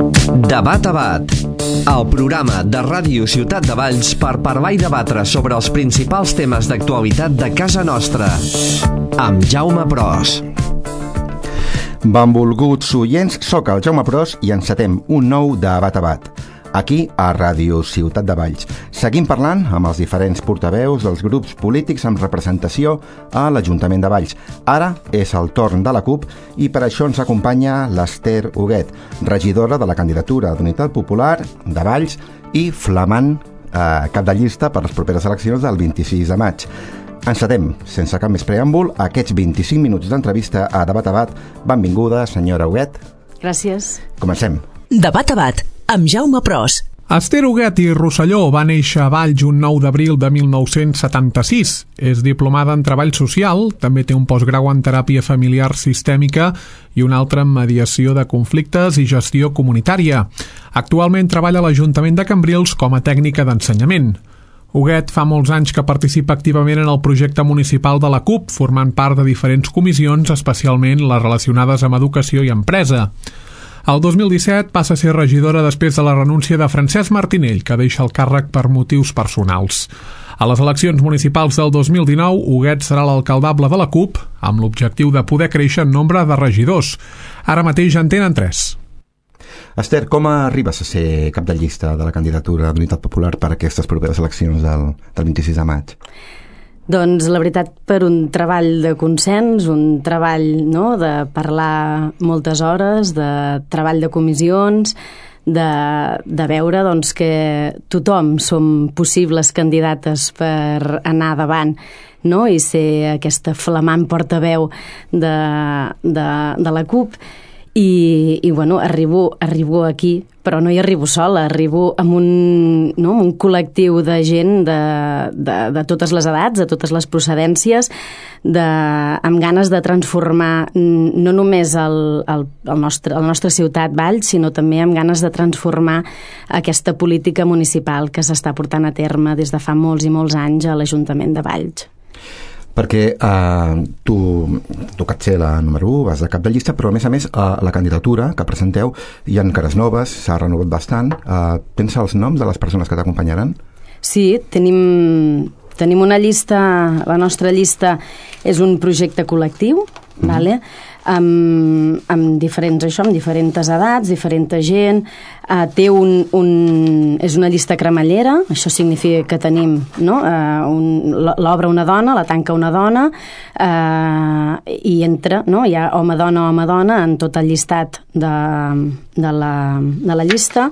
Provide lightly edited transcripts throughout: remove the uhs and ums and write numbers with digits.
Debat a Bat, el programa de Ràdio Ciutat de Valls per parlar i debatre sobre els principals temes d'actualitat de casa nostra, amb Jaume Pros. Benvolguts oients, soc el Jaume Pros i encetem un nou Debat a Bat, aquí a Ràdio Ciutat de Valls. Seguim parlant amb els diferents portaveus dels grups polítics amb representació a l'Ajuntament de Valls. Ara és el torn de la CUP i per això ens acompanya l'Ester Huguet, regidora de la candidatura d'Unitat Popular de Valls i flamant cap de llista per les properes eleccions del 26 de maig. Encetem, sense cap més preàmbul, aquests 25 minuts d'entrevista a Debat a Bat. Benvinguda, senyora Huguet. Gràcies. Comencem. Debat a Bat, amb Jaume Pros. Ester Huguet i Rosselló va néixer a Valls un 9 d'abril de 1976. És diplomada en treball social, també té un postgrau en teràpia familiar sistèmica i un altre en mediació de conflictes i gestió comunitària. Actualment treballa a l'Ajuntament de Cambrils com a tècnica d'ensenyament. Huguet fa molts anys que participa activament en el projecte municipal de la CUP, formant part de diferents comissions, especialment les relacionades amb educació i empresa. El 2017 passa a ser regidora després de la renúncia de Francesc Martinell, que deixa el càrrec per motius personals. A les eleccions municipals del 2019, Huguet serà l'alcaldable de la CUP, amb l'objectiu de poder créixer en nombre de regidors. Ara mateix en tenen 3. Esther, com arribes a ser cap de llista de la candidatura d'Unitat Popular per a aquestes properes eleccions del 26 de maig? Doncs la veritat, per un treball de consens, un treball de parlar moltes hores, de treball de comissions, de veure que tothom som possibles candidates per anar davant, i ser aquesta flamant portaveu de la CUP. I arribo aquí, però no hi arribo sola, arribo amb un col·lectiu de gent de totes les edats, de totes les procedències, amb ganes de transformar no només la nostra ciutat Valls, sinó també amb ganes de transformar aquesta política municipal que s'està portant a terme des de fa molts i molts anys a l'Ajuntament de Valls. Perquè tu que ets la número 1, vas de cap de llista, però a més la candidatura que presenteu hi ha cares noves, s'ha renovat bastant. Pensa els noms de les persones que t'acompanyaran? Sí, tenim una llista, la nostra llista és un projecte col·lectiu, vale? amb diferents edats, diferent gent. És una llista cremallera, això significa que tenim l'obre una dona, la tanca una dona, i entra, hi ha home-dona en tot el llistat de la llista.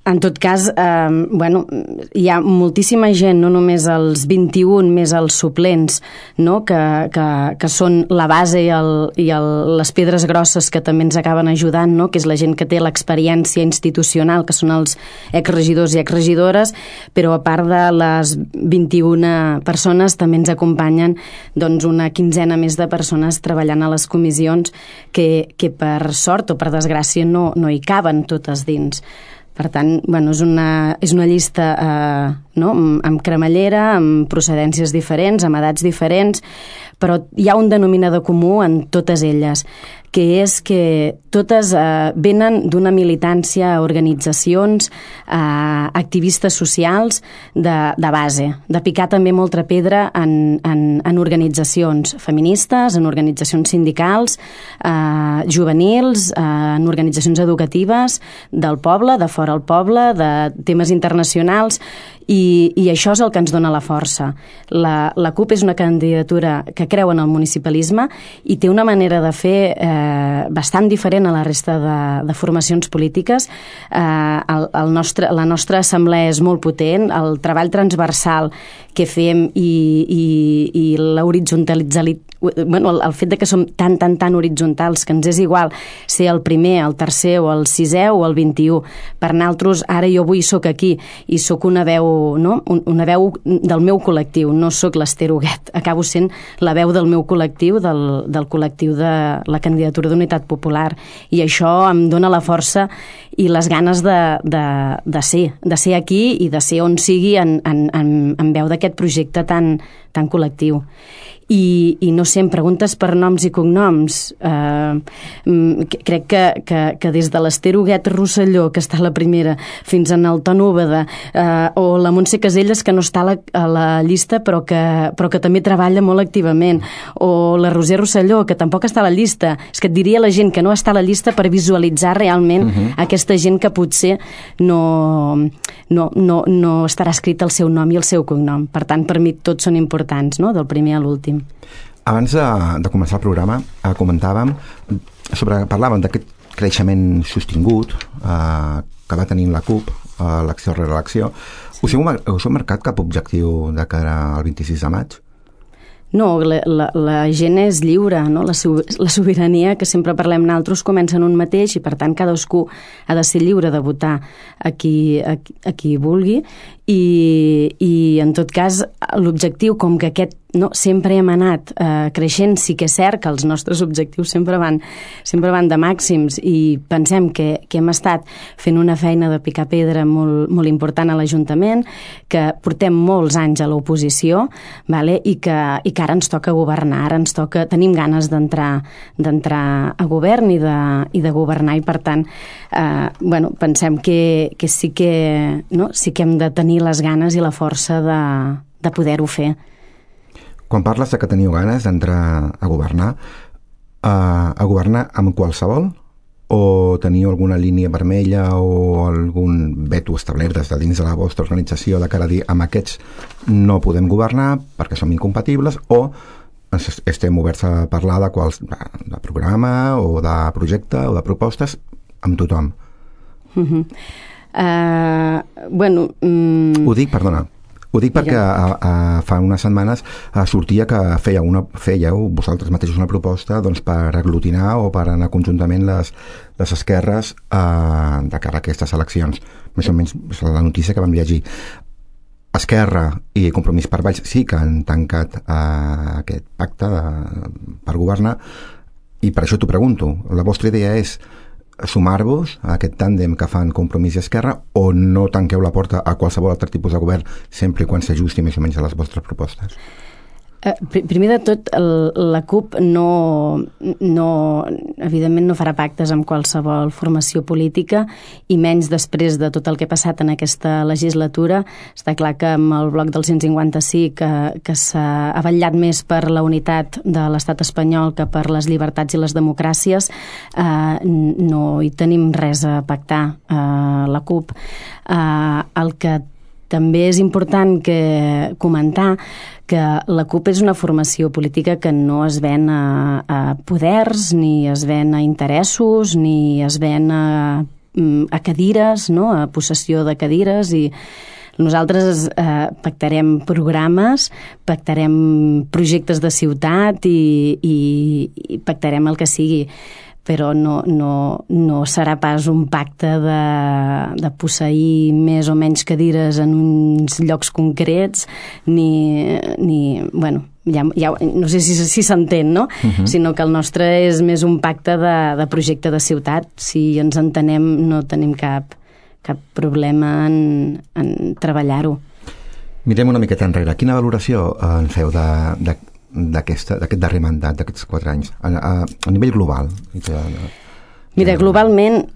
En tot cas, hi ha moltíssima gent, no només els 21 més els suplents, que són la base i les pedres grosses que també ens acaben ajudant, que és la gent que té l'experiència institucional, que són els exregidors i exregidores, però a part de les 21 persones també ens acompanyen una quinzena més de persones treballant a les comissions que per sort o per desgràcia no hi caben totes dins. Per tant, és una llista amb cremallera, amb procedències diferents, amb edats diferents, però hi ha un denominador comú en totes elles, que és que totes venen d'una militància a organitzacions, activistes socials de base, de picar també molta pedra en organitzacions feministes, en organitzacions sindicals, juvenils, en organitzacions educatives del poble, de fora del poble, de temes internacionals, i això és el que ens dona la força. La CUP és una candidatura que creu en el municipalisme i té una manera de fer bastant diferent a la resta de formacions polítiques. La nostra assemblea és molt potent, el treball transversal que fem i l'horitzontalitzalitat, el fet de que som tan horitzontals que ens és igual ser el primer, el tercer o el sisè o el 21. Per nosaltres, ara jo avui sóc aquí i sóc una veu del meu col·lectiu, no sóc l'Ester Huguet, acabo sent la veu del meu col·lectiu, del col·lectiu de la candidatura d'Unitat Popular, i això em dona la força i les ganes de ser aquí i de ser on sigui en veu d'aquest projecte tan tan col·lectiu. I no sé, em preguntes per noms i cognoms. Crec que des de l'Ester Huguet Rosselló, que està a la primera, fins en el Ton Úbeda, o la Montse Caselles, que no està a la llista però que també treballa molt activament, o la Roser Rosselló, que tampoc està a la llista. És que et diria la gent que no està a la llista per visualitzar realment aquesta gent que potser no estarà escrit el seu nom i el seu cognom. Per tant, per mi tots són importants, no? Del primer a l'últim. Abans de començar el programa parlàvem d'aquest creixement sostingut que va tenint la CUP, l'acció rere l'acció. Us heu marcat cap objectiu de cara al 26 de maig? No, la gent és lliure, no? La sobirania, que sempre parlem nosaltres, comença en un mateix i per tant cadascú ha de ser lliure de votar a qui vulgui i en tot cas l'objectiu, com que aquest sempre hem anat creixent, sí que és cert que els nostres objectius sempre van de màxims i pensem que hem estat fent una feina de picar pedra molt, molt important a l'Ajuntament, que portem molts anys a l'oposició, vale? I que ara ens toca governar, tenim ganes d'entrar a govern i de governar i per tant pensem que sí que hem de tenir les ganes i la força de poder-ho fer. Quan parles de que teniu ganes d'entrar a governar amb qualsevol o teniu alguna línia vermella o algun veto establert des de dins de la vostra organització de cara a dir amb aquests no podem governar perquè som incompatibles o estem oberts a parlar de programa o de projecte o de propostes amb tothom? Ho dic perquè fa unes setmanes sortia que fèieu vosaltres mateixos una proposta per aglutinar o per anar conjuntament les esquerres de cara a aquestes eleccions. Més o menys és la notícia que vam llegir. Esquerra i Compromís per Valls sí que han tancat aquest pacte per governar i per això t'ho pregunto. La vostra idea és sumar-vos a aquest tàndem que fan Compromís i Esquerra o no tanqueu la porta a qualsevol altre tipus de govern sempre quan s'ajusti més o menys a les vostres propostes? Primer de tot, la CUP evidentment no farà pactes amb qualsevol formació política i menys després de tot el que ha passat en aquesta legislatura. Està clar que amb el bloc del 155 que s'ha vetllat més per la unitat de l'estat espanyol que per les llibertats i les democràcies, no hi tenim res a pactar la CUP. El que també és important comentar que la CUP és una formació política que no es ven a poders, ni es ven a interessos, ni es ven a cadires, no? A possessió de cadires i nosaltres pactarem programes, pactarem projectes de ciutat i pactarem el que sigui, però no serà pas un pacte de posseir més o menys cadires en uns llocs concrets, no sé si s'entén, no? Sinó que el nostre és més un pacte de projecte de ciutat. Si ens entenem, no tenim cap problema en treballar-ho. Mirem una miqueta enrere. Quina valoració en feu d'aquest darrer mandat, d'aquests 4 anys, a nivell global? Mira, globalment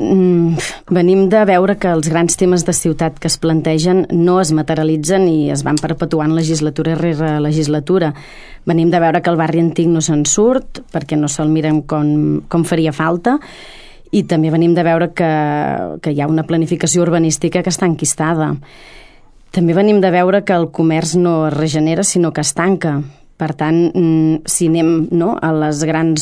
venim de veure que els grans temes de ciutat que es plantegen no es materialitzen i es van perpetuant legislatura rere legislatura. Venim de veure que el barri antic no se'n surt perquè no se'l miren com faria falta i també venim de veure que hi ha una planificació urbanística que està enquistada. També venim de veure que el comerç no es regenera sinó que es tanca. Per tant, si anem al gran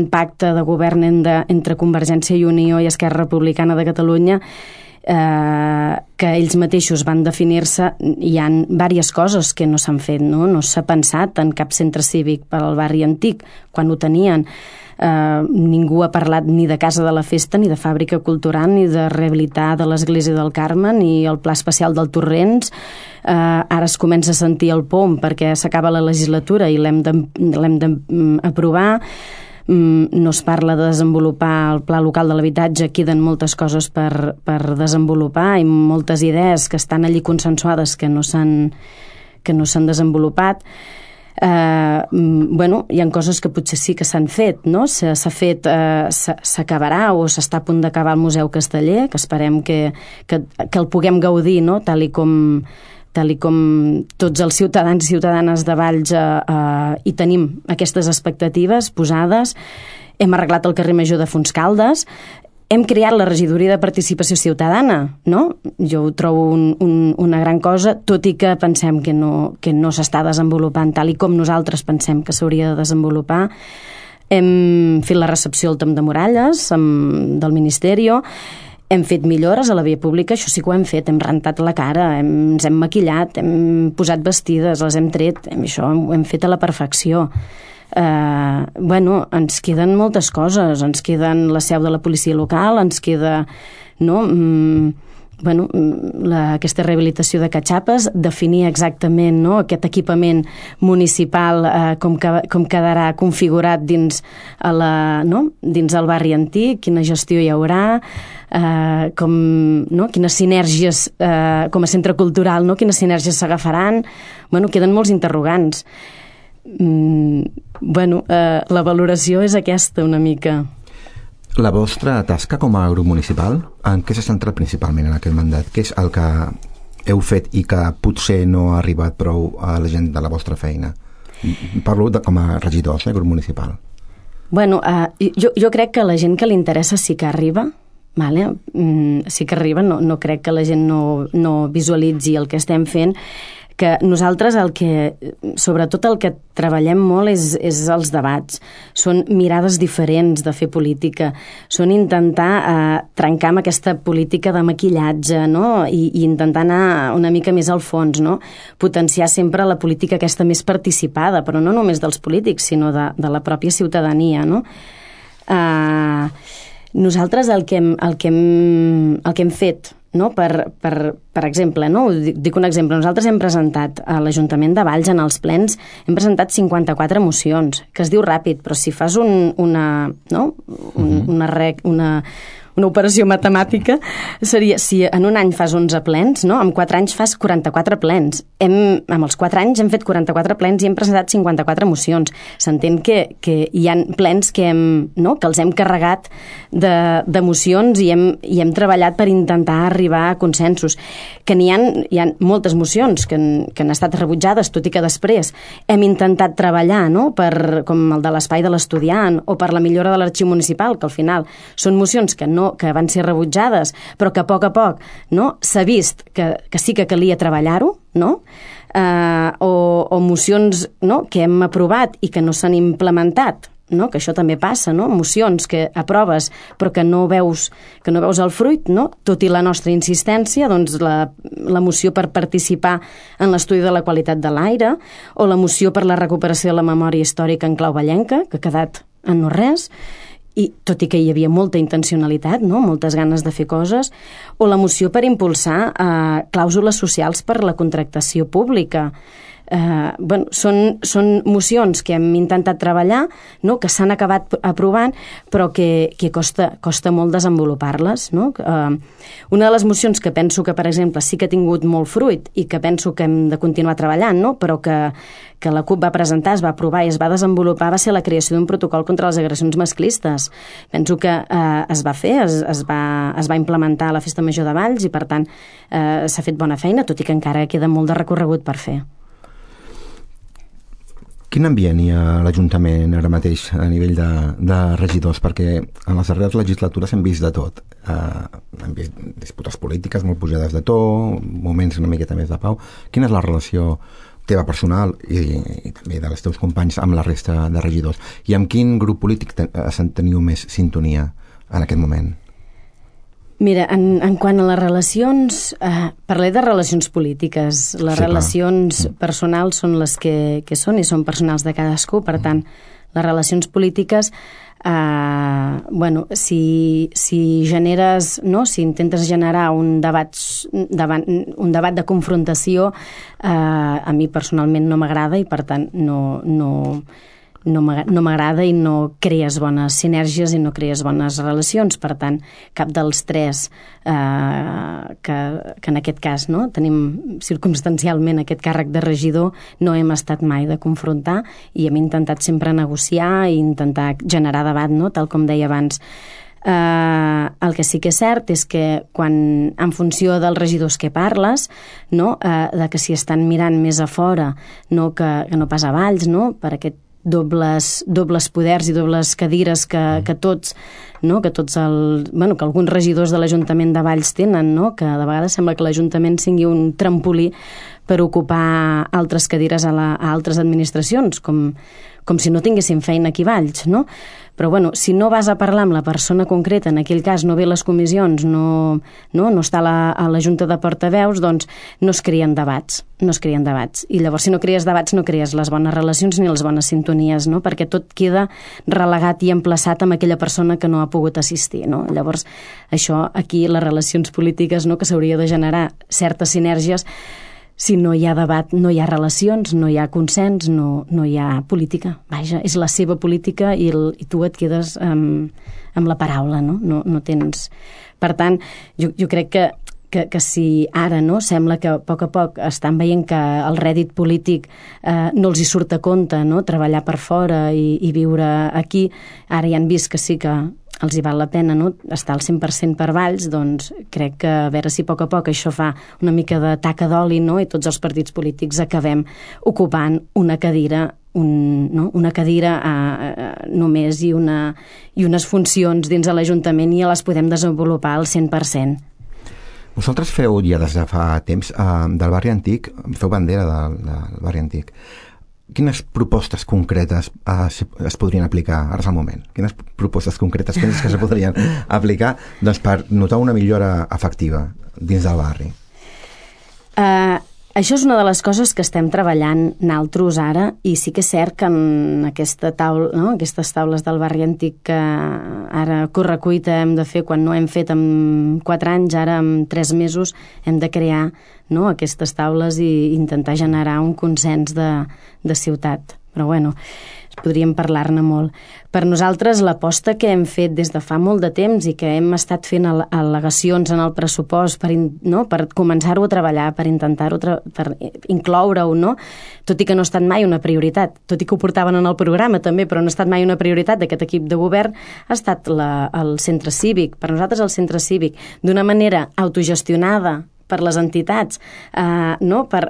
pacte de govern entre Convergència i Unió i Esquerra Republicana de Catalunya, que ells mateixos van definir-se, hi ha diverses coses que no s'han fet, no s'ha pensat en cap centre cívic per al barri antic, quan ho tenien. Ningú ha parlat ni de Casa de la Festa, ni de Fàbrica Cultural, ni de rehabilitar de l'Església del Carme, ni el Pla Especial del Torrents. Ara es comença a sentir el POM perquè s'acaba la legislatura i l'hem d'aprovar. No es parla de desenvolupar el Pla Local de l'Habitatge, queden moltes coses per desenvolupar i moltes idees que estan allí consensuades que no s'han desenvolupat. Hi ha coses que potser sí que s'han fet, no? S'acabarà o s'està a punt d'acabar el Museu Casteller, que esperem que el puguem gaudir, no? Tal i com tots els ciutadans i ciutadanes de Valls hi tenim aquestes expectatives posades. Hem arreglat el carrer Major de Fontscaldes, hem creat la regidoria de participació ciutadana, no? Jo ho trobo una gran cosa, tot i que pensem que no s'està desenvolupant tal i com nosaltres pensem que s'hauria de desenvolupar. Hem fet la recepció al Tom de Muralles del Ministeri, hem fet millores a la via pública, això sí que ho hem fet, hem rentat la cara, ens hem maquillat, hem posat vestides, les hem tret, això ho hem fet a la perfecció. Ens queden moltes coses, ens queden la seu de la policia local, ens queda aquesta rehabilitació de Catxapes, definir exactament aquest equipament municipal com quedarà configurat dins el barri antic, quina gestió hi haurà, quines sinergies com a centre cultural, quines sinergies s'agafaran. Queden molts interrogants. La valoració és aquesta una mica. La vostra tasca com a grup municipal, en què s'ha centrat principalment en aquest mandat? Què és el que heu fet i que potser no ha arribat prou a la gent de la vostra feina? Parlo com a regidors, grup municipal. Jo crec que la gent que li interessa sí que arriba, sí que arriba, no crec que la gent no visualitzi el que estem fent, que nosaltres sobretot el que treballem molt és els debats. Són mirades diferents de fer política, són intentar trencar amb aquesta política de maquillatge, no? I intentar anar una mica més al fons, no? Potenciar sempre la política aquesta més participada, però no només dels polítics, sinó de la pròpia ciutadania, no? Nosaltres el que hem fet, no? Per exemple, no? Dic un exemple, nosaltres hem presentat a l'Ajuntament de Valls en els plens, hem presentat 54 mocions, que es diu ràpid, però si fas una operació matemàtica, seria, si en un any fas 11 plens, no? En 4 anys fas 44 plens. Amb els 4 anys hem fet 44 plens i hem presentat 54 mocions. S'entén que hi ha plens que els hem carregat de mocions i hem treballat per intentar arribar a consensos. Que hi ha moltes mocions que han estat rebutjades, tot i que després hem intentat treballar, no? Com el de l'espai de l'estudiant o per la millora de l'arxiu municipal, que al final són mocions que van ser rebutjades, però que a poc s'ha vist que sí que calia treballar-ho, no? O mocions que hem aprovat i que no s'han implementat, no? Que això també passa, no? Mocions que aproves però que no veus el fruit, no? Tot i la nostra insistència, doncs la moció per participar en l'estudi de la qualitat de l'aire o la moció per la recuperació de la memòria històrica en clau vallenca, que ha quedat en no res, i tot i que hi havia molta intencionalitat, no? Moltes ganes de fer coses, o la moció per impulsar clàusules socials per la contractació pública. Són mocions que hem intentat treballar, no? Que s'han acabat aprovant, però que costa molt desenvolupar-les, no? Una de les mocions que penso que, per exemple, sí que ha tingut molt fruit i que penso que hem de continuar treballant, no? Però que la CUP va presentar, es va aprovar i es va desenvolupar, va ser la creació d'un protocol contra les agressions masclistes. Penso que es va fer, es va implementar a la Festa Major de Valls i, per tant, s'ha fet bona feina, tot i que encara queda molt de recorregut per fer. Quin ambient hi ha a l'Ajuntament ara mateix a nivell de regidors? Perquè en les darreres legislatures hem vist de tot. Hem vist disputes polítiques molt pujades de to, moments una miqueta més de pau. Quina és la relació teva personal i també de les teus companys amb la resta de regidors? I amb quin grup polític teniu més sintonia en aquest moment? Mira, en quant a les relacions, parlé de relacions polítiques. Les relacions personals són les que són i són personals de cadascú, per tant, les relacions polítiques, si generes, no? Si intentes generar un debat de confrontació, a mi personalment no m'agrada i, per tant, no no m'agrada i no crees bones sinergies i no crees bones relacions. Per tant, cap dels tres que en aquest cas tenim circumstancialment aquest càrrec de regidor no hem estat mai de confrontar i hem intentat sempre negociar i intentar generar debat, tal com deia abans. El que sí que és cert és que quan, en funció dels regidors que parles, de que si estan mirant més a fora que no pas a Valls, per aquest dobles poders i dobles cadires que tots que alguns regidors de l'Ajuntament de Valls tenen, que de vegades sembla que l'Ajuntament sigui un trampolí per ocupar altres cadires a altres administracions, com si no tinguessin feina aquí a Valls, Però, si no vas a parlar amb la persona concreta, en aquell cas no ve a les comissions, no està a la Junta de Portaveus, doncs no es creen debats. I llavors, si no crees debats, no crees les bones relacions ni les bones sintonies, perquè tot queda relegat i emplaçat amb aquella persona que no ha pogut assistir, Llavors, això, aquí, les relacions polítiques, que s'hauria de generar certes sinergies. Si no hi ha debat, no hi ha relacions, no hi ha consens, no hi ha política. Vaja, és la seva política i tu et quedes amb la paraula, no tens... Per tant, jo crec que si ara sembla que a poc estan veient que el rèdit polític no els hi surt a compte, treballar per fora i viure aquí, ara ja han vist que sí que els hi val la pena estar al 100% per Valls, doncs crec que a veure si a poc això fa una mica de taca d'oli, i tots els partits polítics acabem ocupant una cadira només i unes funcions dins de l'Ajuntament i les podem desenvolupar al 100%. Vosaltres feu ja des de fa temps del barri antic, feu bandera del barri antic. Quines propostes concretes es podrien aplicar? Ara és el moment. Quines propostes concretes penses que se podrien aplicar per notar una millora efectiva dins del barri? Això és una de les coses que estem treballant naltros ara, i sí que és cert que en aquestes taules del barri antic que ara correcuita hem de fer quan no hem fet en 4 anys, ara en 3 mesos hem de crear aquestes taules i intentar generar un consens de ciutat. Però podríem parlar-ne molt. Per nosaltres, l'aposta que hem fet des de fa molt de temps i que hem estat fent al·legacions en el pressupost per començar-ho a treballar, per intentar-ho, per incloure-ho, tot i que no ha estat mai una prioritat, tot i que ho portaven en el programa també, però no ha estat mai una prioritat d'aquest equip de govern, ha estat el centre cívic. Per nosaltres el centre cívic, d'una manera autogestionada per les entitats, per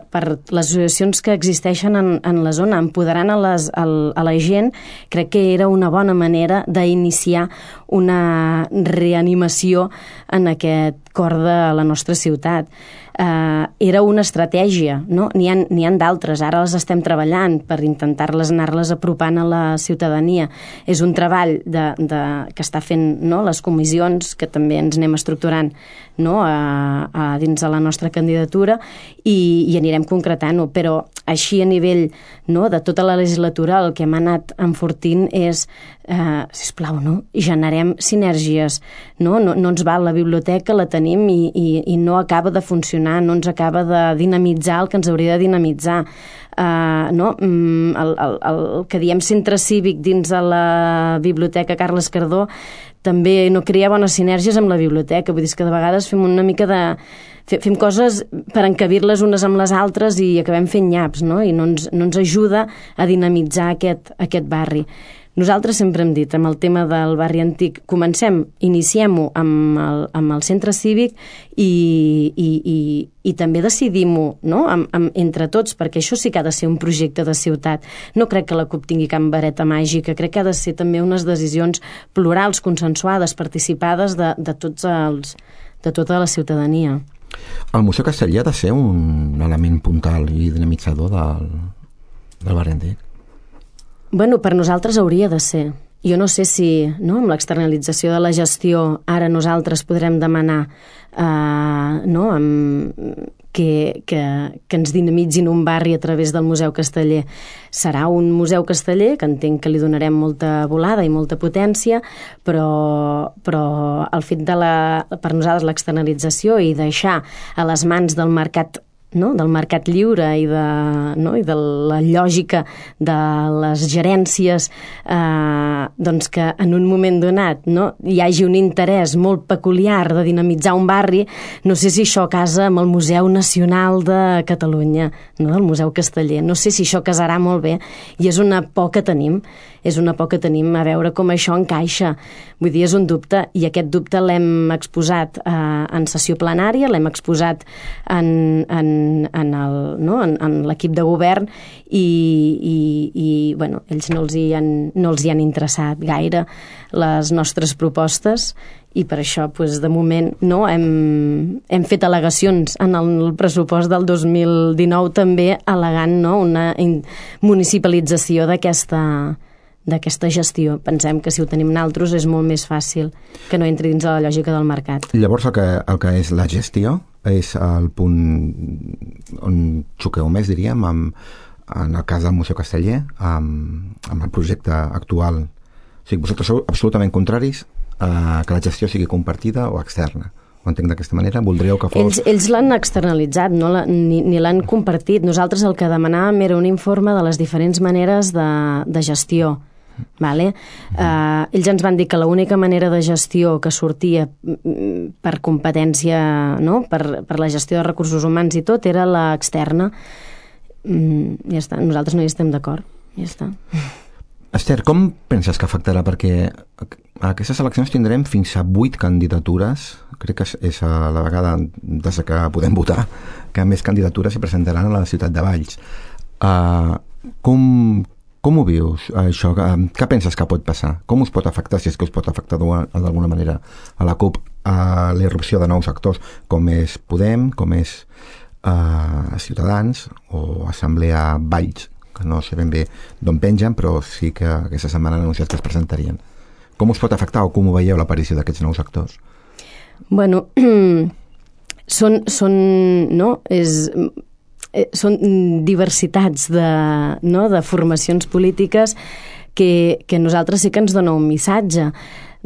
les associacions que existeixen en la zona, empoderant a la gent, crec que era una bona manera d'iniciar una reanimació en aquest cor de la nostra ciutat. Era una estratègia, n'hi ha d'altres, ara les estem treballant per intentar-les anar-les apropant a la ciutadania. És un treball que està fent les comissions, que també ens anem estructurant dins de la nostra candidatura i anirem concretant-ho, però així a nivell de tota la legislatura el que hem anat enfortint és, sisplau, generem sinergies, no ens val la biblioteca, la tenim i no acaba de funcionar, no ens acaba de dinamitzar el que ens hauria de dinamitzar. El que diem centre cívic dins de la biblioteca Carles Cardó també no crea bones sinergies amb la biblioteca, vull dir que de vegades fem una mica de... fem coses per encabir-les unes amb les altres i acabem fent nyaps, i no ens ajuda a dinamitzar aquest barri. Nosaltres sempre hem dit, amb el tema del barri antic, iniciem-ho amb el centre cívic i també decidim-ho entre tots, perquè això sí que ha de ser un projecte de ciutat. No crec que la CUP tingui cap vareta màgica, crec que ha de ser també unes decisions plurals, consensuades, participades de tota la ciutadania. El Museu Castellar ha de ser un element puntal i dinamitzador del barri antic? Per nosaltres hauria de ser. Jo no sé si amb l'externalització de la gestió ara nosaltres podrem demanar que ens dinamitzin un barri a través del Museu Casteller. Serà un museu casteller que entenc que li donarem molta volada i molta potència, però el fet per nosaltres l'externalització i deixar a les mans del mercat del mercat lliure i de la lògica de les gerències, doncs que en un moment donat hi hagi un interès molt peculiar de dinamitzar un barri. No sé si això casa amb el Museu Nacional de Catalunya, del Museu Casteller. No sé si això casarà molt bé, i és una por que tenim. És una por que tenim a veure com això encaixa. Vull dir, és un dubte, i aquest dubte l'hem exposat en sessió plenària, l'hem exposat en l'equip de govern, i bueno, ells no els hi han interessat gaire les nostres propostes, i per això, de moment, hem fet al·legacions en el pressupost del 2019 també, al·legant una municipalització d'aquesta gestió. Pensem que si ho tenim nosaltres és molt més fàcil que no entri dins de la lògica del mercat. Llavors el que és la gestió és el punt on xoqueu més, diríem, en el cas del Museu Casteller, amb el projecte actual. O sigui, vosaltres sou absolutament contraris a que la gestió sigui compartida o externa. Ho entenc d'aquesta manera? Voldríeu que fos... Ells l'han externalitzat, ni l'han compartit. Nosaltres el que demanàvem era un informe de les diferents maneres de gestió. Vale? Ells ens van dir que l'única manera de gestió que sortia per competència, per la gestió de recursos humans i tot, era l'externa. Ja està, nosaltres no hi estem d'acord. Ja està. Esther, com penses que afectarà? Perquè a aquestes eleccions tindrem fins a 8 candidatures. Crec que és la vegada des que podem votar que més candidatures s'hi presentaran a la ciutat de Valls. Com ho vius, això? Què penses que pot passar? Com us pot afectar, si és que us pot afectar d'alguna manera a la CUP, a la irrupció de nous actors, com és Podem, com és Ciutadans o Assemblea Valls, que no sé ben bé d'on pengen, però sí que aquesta setmana han anunciat que es presentarien. Com us pot afectar o com ho veieu l'aparició d'aquests nous actors? Bueno, són diversitats de formacions polítiques que nosaltres sí que ens dona un missatge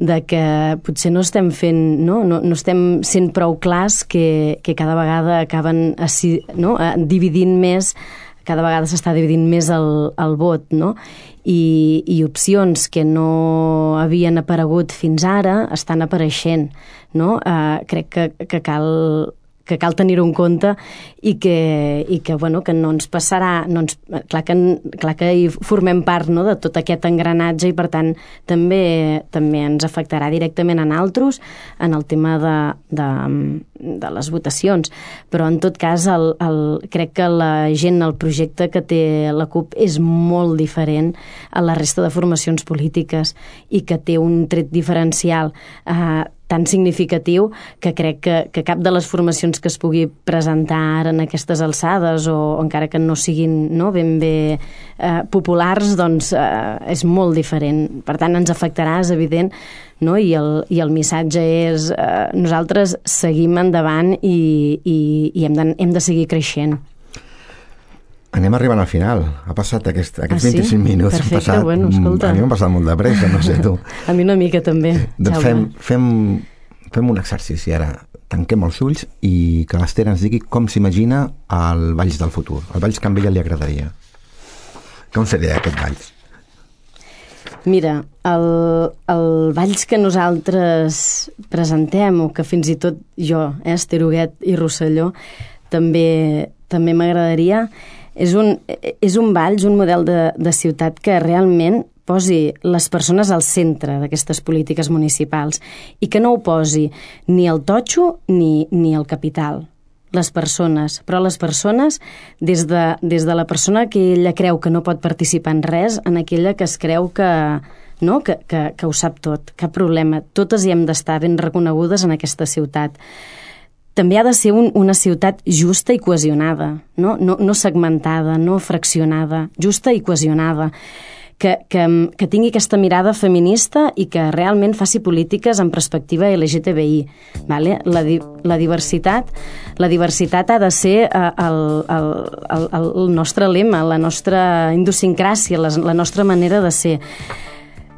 de que potser no estem fent, no estem sent prou clars, que cada vegada acaben dividint més, cada vegada s'està dividint més el vot, i opcions que no havien aparegut fins ara estan apareixent, crec que cal tenir-ho en compte, i que no ens passarà, clar que hi formem part de tot aquest engranatge, i per tant també ens afectarà directament a nosaltres en el tema de les votacions. Però en tot cas crec que la gent, el projecte que té la CUP és molt diferent a la resta de formacions polítiques, i que té un tret diferencial tan significatiu que crec que cap de les formacions que es pugui presentar ara en aquestes alçades, o encara que no siguin ben bé populars, doncs és molt diferent. Per tant, ens afectarà, és evident, i el missatge és nosaltres seguim endavant i hem de seguir creixent. Anem arribant al final. Ha passat aquests 25 minuts. Perfecte, escolta. A mi m'ha passat molt de pressa, no sé tu. A mi una mica també. Doncs fem un exercici ara. Tanquem els ulls i que l'Esther ens digui com s'imagina el Valls del futur. El Valls que a ella li agradaria. Com seria aquest Valls? Mira, el Valls que nosaltres presentem, o que fins i tot jo, Esther Huguet i Rosselló, també m'agradaria, és un Valls, un model de ciutat que realment posi les persones al centre d'aquestes polítiques municipals, i que no ho posi ni el totxo ni el capital. Les persones, però les persones des de la persona que ella creu que no pot participar en res, en aquella que es creu que ho sap tot, cap problema. Totes hi hem d'estar ben reconegudes en aquesta ciutat. També ha de ser una ciutat justa i cohesionada, no segmentada, no fraccionada, justa i cohesionada, que tingui aquesta mirada feminista i que realment faci polítiques en perspectiva LGTBI. Vale? La diversitat ha de ser el nostre lema, la nostra idiosincràsia, la nostra manera de ser.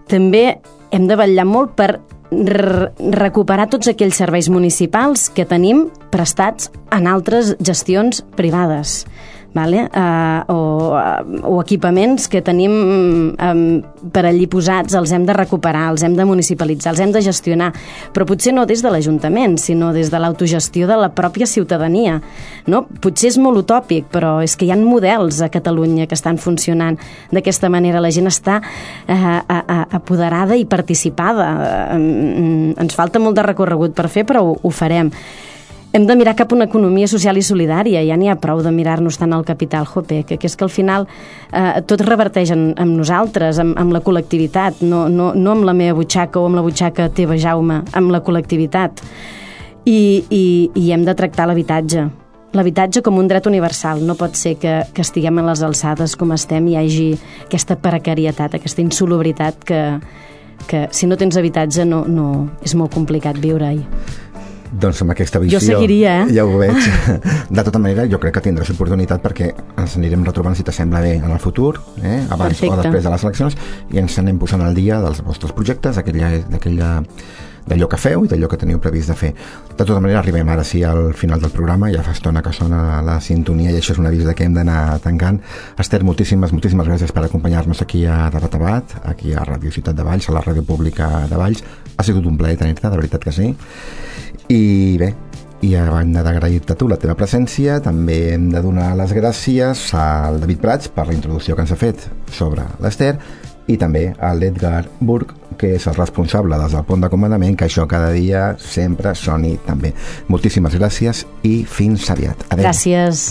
També hem de vetllar molt per recuperar tots aquells serveis municipals que tenim prestats en altres gestions privades. Vale? O equipaments que tenim per allí posats, els hem de recuperar, els hem de municipalitzar, els hem de gestionar, però potser no des de l'Ajuntament, sinó des de l'autogestió de la pròpia ciutadania, no? Potser és molt utòpic, però és que hi ha models a Catalunya que estan funcionant d'aquesta manera. La gent està apoderada i participada. Ens falta molt de recorregut per fer, però ho farem. Hem de mirar cap a una economia social i solidària, ja n'hi ha prou de mirar-nos tant al capital, que és que al final tot reverteix en nosaltres, amb la col·lectivitat, no amb la meva butxaca o amb la butxaca teva, Jaume, amb la col·lectivitat. I hem de tractar l'habitatge com un dret universal. No pot ser que estiguem a les alçades com estem i hi hagi aquesta precarietat, aquesta insolubritat que si no tens habitatge no és molt complicat viure-hi. Doncs amb aquesta visió... Jo seguiria, Ja ho veig. De tota manera, jo crec que tindràs oportunitat perquè ens anirem retrobant, si t'assembla bé, en el futur, abans Perfecte. O després de les eleccions, i ens anem posant al dia dels vostres projectes, d'allò que feu i d'allò que teniu previst de fer. De tota manera, arribem ara sí al final del programa, ja fa estona que sona la sintonia i això és un avís que hem d'anar tancant. Esther, moltíssimes gràcies per acompanyar-nos aquí a Debat, aquí a Ràdio Ciutat de Valls, a la ràdio pública de Valls. Ha sigut un plaer tenir-te, de veritat que sí. I bé, i a banda d'agrair-te tu la teva presència, també hem de donar les gràcies al David Prats per la introducció que ens ha fet sobre l'Esther i també a l'Edgar Burg, que és el responsable des del pont de comandament, que això cada dia sempre soni tan bé. Moltíssimes gràcies i fins aviat. Adéu. Gràcies.